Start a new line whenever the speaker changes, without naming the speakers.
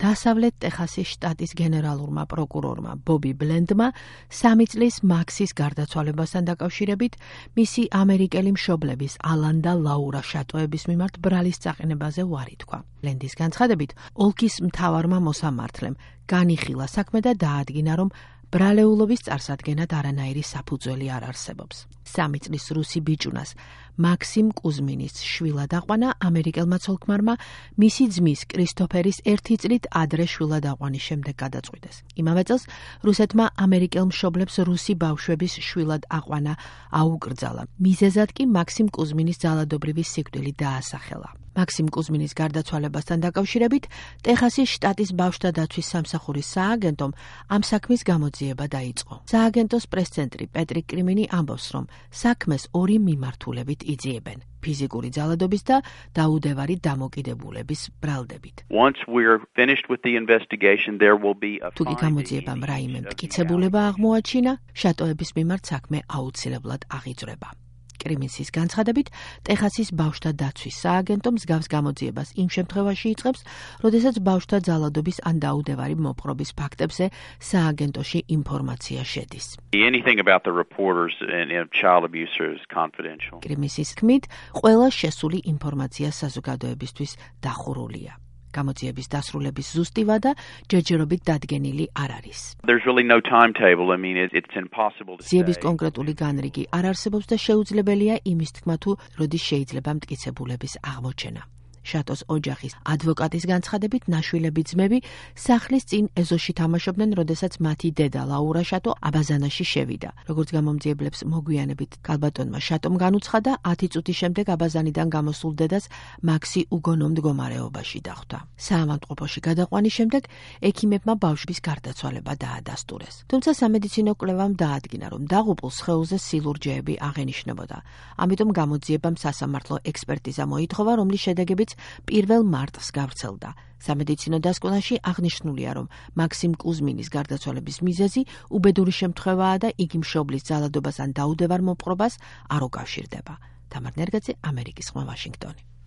დასავლეთ ტეხასის შტატის გენერალურმა პროკურორმა ბობი ბლენდმა 3 წლის მაქსის გარდაცვალებასთან დაკავშირებით მისი ამერიკელი მშობლების ალან და ლაურა შატოების მიმართ ბრალის წაყენებაზე უარი თქვა. ბლენდის განცხადებით, ოლქის მთავარმა მოსამართლემ განიხილა საქმე და დაადგინა, რომ ბრალეულობის წარსადგენად არანაირი საფუძველი არ არსებობს. 3 წლის რუსი ბიჭუნას მაქსიმ კუზმინის შვილად აყვანა ამერიკელმა ცოლ-ქმარმა მისი ძმის კრისტოფერის 1 წლით ადრე შვილად აყვანის შემდეგ გადაწყვიტეს. იმავე წელს რუსეთმა ამერიკელ მშობლებს რუსი ბავშვების შვილად აყვანა აუკრძალა. მიზეზად კი მაქსიმ კუზმინის ძალადობრივი სიკვდილი დაასახელა. მაქსიმ კუზმინის გარდაცვალებასთან დაკავშირებით ტეხასის შტატის ბავშვთა დაცვის სამსახურის სააგენტომ ამ საქმის გამოძიება დაიწყო. სააგენტოს პრეს-ცენტრი პეტრი კრიმინი ამბობს, რომ საქმეს 2 მიმართულებით იძიებენ: ფიზიკური ძალადობის და დაუდევარი დამოკიდებულების ბრალდებით. თუ კი გამოძიებამ რაიმე მტკიცებულება აღმოაჩინა, შატოების მიმართ საქმე აუცილებლად აღიძვრება. კრიმინსის განცხადებით, ტეხასის ბავშვთა დაცვის სააგენტო მსგავს გამოძიებას იმ შემთხვევაში იწყებს, როდესაც ბავშვთა ძალადობის ან დაუდევარი მოპყრობის ფაქტებზე სააგენტოში ინფორმაცია შედის. კრიმინსის თქმით, ყველა შესული ინფორმაცია საზოგადოებისთვის დახურულია. გამოძიების დასრულების ზუსტი ვადა ჯერჯერობით დადგენილი არ არის. ძიების კონკრეტული განრიგი არ არსებობს და შეუძლებელია იმის თქმა, თუ როდის შეიძლება მტკიცებულების აღმოჩენა. შატოს ოჯახის ადვოკატის განცხადებით, ნაშვილები ძმები სახლის წინ ეზოში თამაშობდნენ, როდესაც მათი დედა ლაურა შატო აბაზანაში შევიდა. როგორც გამომძიებლებს მოგვიანებით ქალბატონმა შატომ განუცხადა, 10 წუთის შემდეგ აბაზანიდან გამოსულ დედას მაქსი უგონო მდგომარეობაში დახვდა. საავადმყოფოში გადაყვანის შემდეგ ექიმებმა ბავშვის გარდაცვალება დაადასტურეს. თუმცა სამედიცინო კვლევამ დაადგინა, რომ დაღუპულ სხეულზე სილურჯეები აღენიშნებოდა. ამიტომ გამოძიებამ სასამართლო ექსპერტიზა მოითხოვა, რომლის შედეგებიც 1 მარტს გავრცელდა. სამედიცინო დასკვნაში აღნიშნულია, რომ მაქსიმ კუზმინის გარდაცვალების მიზეზი უბედური შემთხვევაა და იგი მშობლის ძალადობას ან დაუდევარ მოპყრობას არ უკავშირდება. თამარ ნერგაძე, ამერიკის ხმა, ვაშინგტონი.